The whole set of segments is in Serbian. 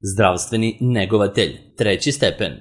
Zdravstveni negovatelj, 3. stepen.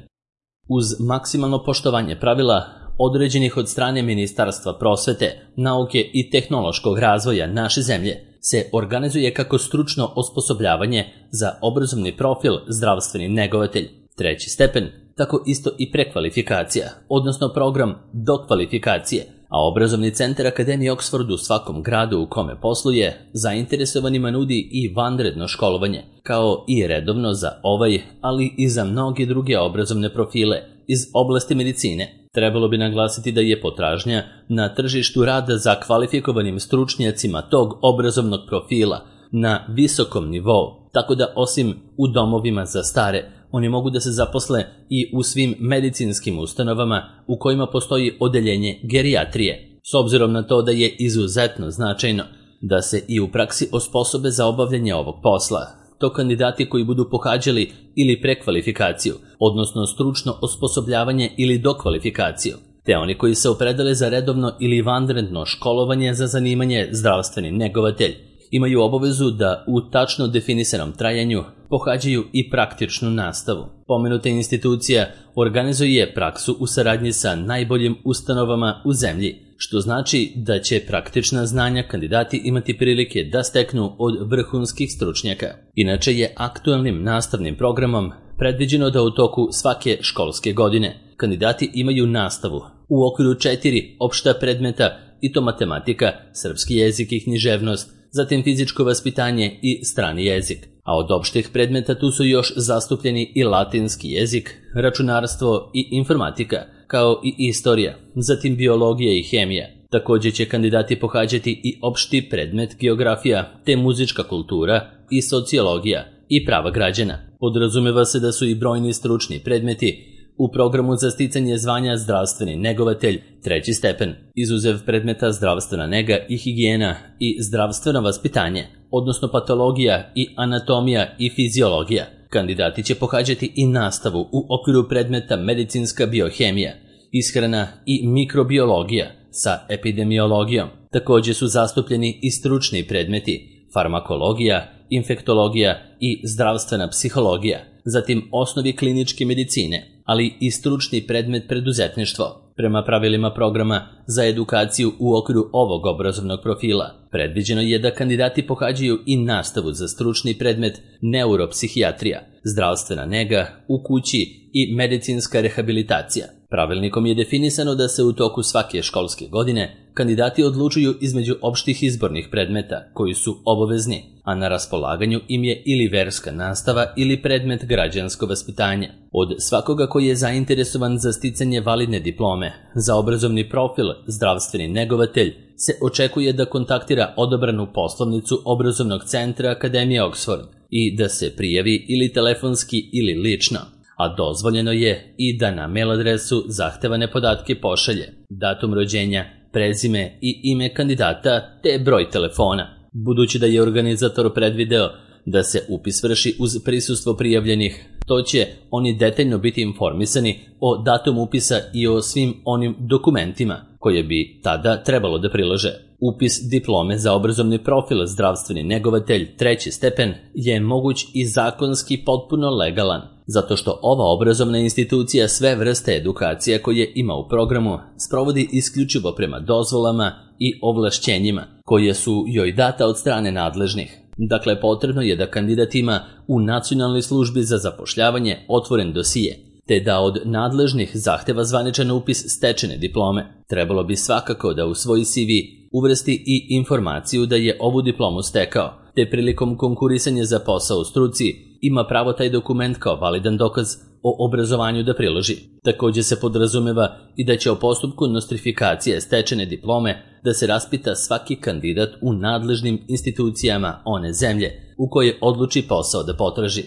Uz maksimalno poštovanje pravila određenih od strane Ministarstva prosvete, nauke i tehnološkog razvoja naše zemlje, se organizuje kako stručno osposobljavanje za obrazovni profil zdravstveni negovatelj, 3. stepen, tako isto i prekvalifikacija, odnosno program dokvalifikacije, a obrazovni centar Akademije Oxford u svakom gradu u kome posluje zainteresovanima nudi i vanredno školovanje, kao i redovno za ovaj, ali i za mnoge druge obrazovne profile iz oblasti medicine. Trebalo bi naglasiti da je potražnja na tržištu rada za kvalifikovanim stručnjacima tog obrazovnog profila na visokom nivou, tako da osim u domovima za stare, oni mogu da se zaposle i u svim medicinskim ustanovama u kojima postoji odeljenje gerijatrije, s obzirom na to da je izuzetno značajno da se i u praksi osposobe za obavljanje ovog posla. To kandidati koji budu pohađali ili prekvalifikaciju, odnosno stručno osposobljavanje ili dokvalifikaciju, te oni koji se opredele za redovno ili vanredno školovanje za zanimanje zdravstveni negovatelj, imaju obavezu da u tačno definisanom trajanju pohađaju i praktičnu nastavu. Pomenuta institucija organizuje praksu u saradnji sa najboljim ustanovama u zemlji, što znači da će praktična znanja kandidati imati prilike da steknu od vrhunskih stručnjaka. Inače je aktualnim nastavnim programom predviđeno da u toku svake školske godine kandidati imaju nastavu u okviru 4 opšta predmeta, i to matematika, srpski jezik i književnost, zatim fizičko vaspitanje i strani jezik. A od opštih predmeta tu su još zastupljeni i latinski jezik, računarstvo i informatika, kao i istorija, zatim biologija i hemija. Također će kandidati pohađati i opšti predmet geografija, te muzička kultura i sociologija i prava građana. Podrazumeva se da su i brojni stručni predmeti u programu za sticanje zvanja zdravstveni negovatelj, 3. stepen, izuzev predmeta zdravstvena nega i higijena i zdravstveno vaspitanje, odnosno patologija i anatomija i fiziologija. Kandidati će pohađati i nastavu u okviru predmeta medicinska biohemija, ishrana i mikrobiologija sa epidemiologijom. Također su zastupljeni i stručni predmeti farmakologija, infektologija i zdravstvena psihologija, zatim osnovi kliničke medicine, ali i stručni predmet preduzetništvo. Prema pravilima programa za edukaciju u okviru ovog obrazovnog profila, predviđeno je da kandidati pohađaju i nastavu za stručni predmet neuropsihijatrija, zdravstvena nega u kući i medicinska rehabilitacija. Pravilnikom je definisano da se u toku svake školske godine kandidati odlučuju između opštih izbornih predmeta koji su obavezni, a na raspolaganju im je ili verska nastava ili predmet građansko vaspitanje. Od svakoga koji je zainteresovan za sticanje validne diplome za obrazovni profil zdravstveni negovatelj se očekuje da kontaktira odabranu poslovnicu obrazovnog centra Akademije Oxford i da se prijavi ili telefonski ili lično, a dozvoljeno je i da na mail adresu zahtevane podatke pošalje datum rođenja, prezime i ime kandidata te broj telefona. Budući da je organizator predvideo da se upis vrši uz prisustvo prijavljenih, to će oni detaljno biti informisani o datum upisa i o svim onim dokumentima koje bi tada trebalo da prilože. Upis diplome za obrazovni profil zdravstveni negovatelj, 3. stepen, je moguć i zakonski potpuno legalan, zato što ova obrazovna institucija sve vrste edukacija koje ima u programu sprovodi isključivo prema dozvolama i ovlašćenjima koje su joj data od strane nadležnih. Dakle, potrebno je da kandidat ima u Nacionalnoj službi za zapošljavanje otvoren dosije, te da od nadležnih zahteva zvaničan upis stečene diplome. Trebalo bi svakako da u svoj CV uvrsti i informaciju da je ovu diplomu stekao, te prilikom konkurisanja za posao u struci ima pravo taj dokument kao validan dokaz o obrazovanju da priloži. Također se podrazumeva i da će o postupku nostrifikacije stečene diplome da se raspita svaki kandidat u nadležnim institucijama one zemlje u koje odluči posao da potraži.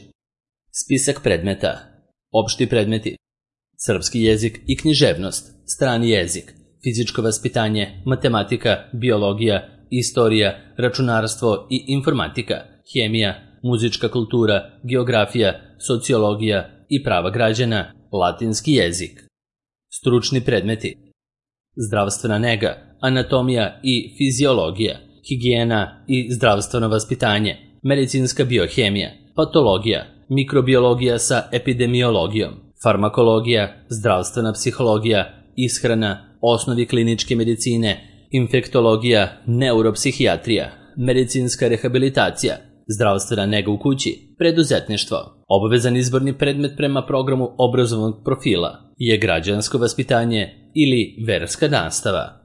Spisak predmeta. Opšti predmeti: srpski jezik i književnost, strani jezik, fizičko vaspitanje, matematika, biologija, istorija, računarstvo i informatika, hemija, muzička kultura, geografija, sociologija i prava građana, latinski jezik. Stručni predmeti: zdravstvena nega, anatomija i fiziologija, higijena i zdravstveno vaspitanje, medicinska biohemija, patologija, mikrobiologija sa epidemiologijom, farmakologija, zdravstvena psihologija, ishrana, osnovi kliničke medicine, infektologija, neuropsihijatrija, medicinska rehabilitacija, zdravstvena nega u kući, preduzetništvo. Obavezan izborni predmet prema programu obrazovnog profila je građansko vaspitanje ili verska nastava.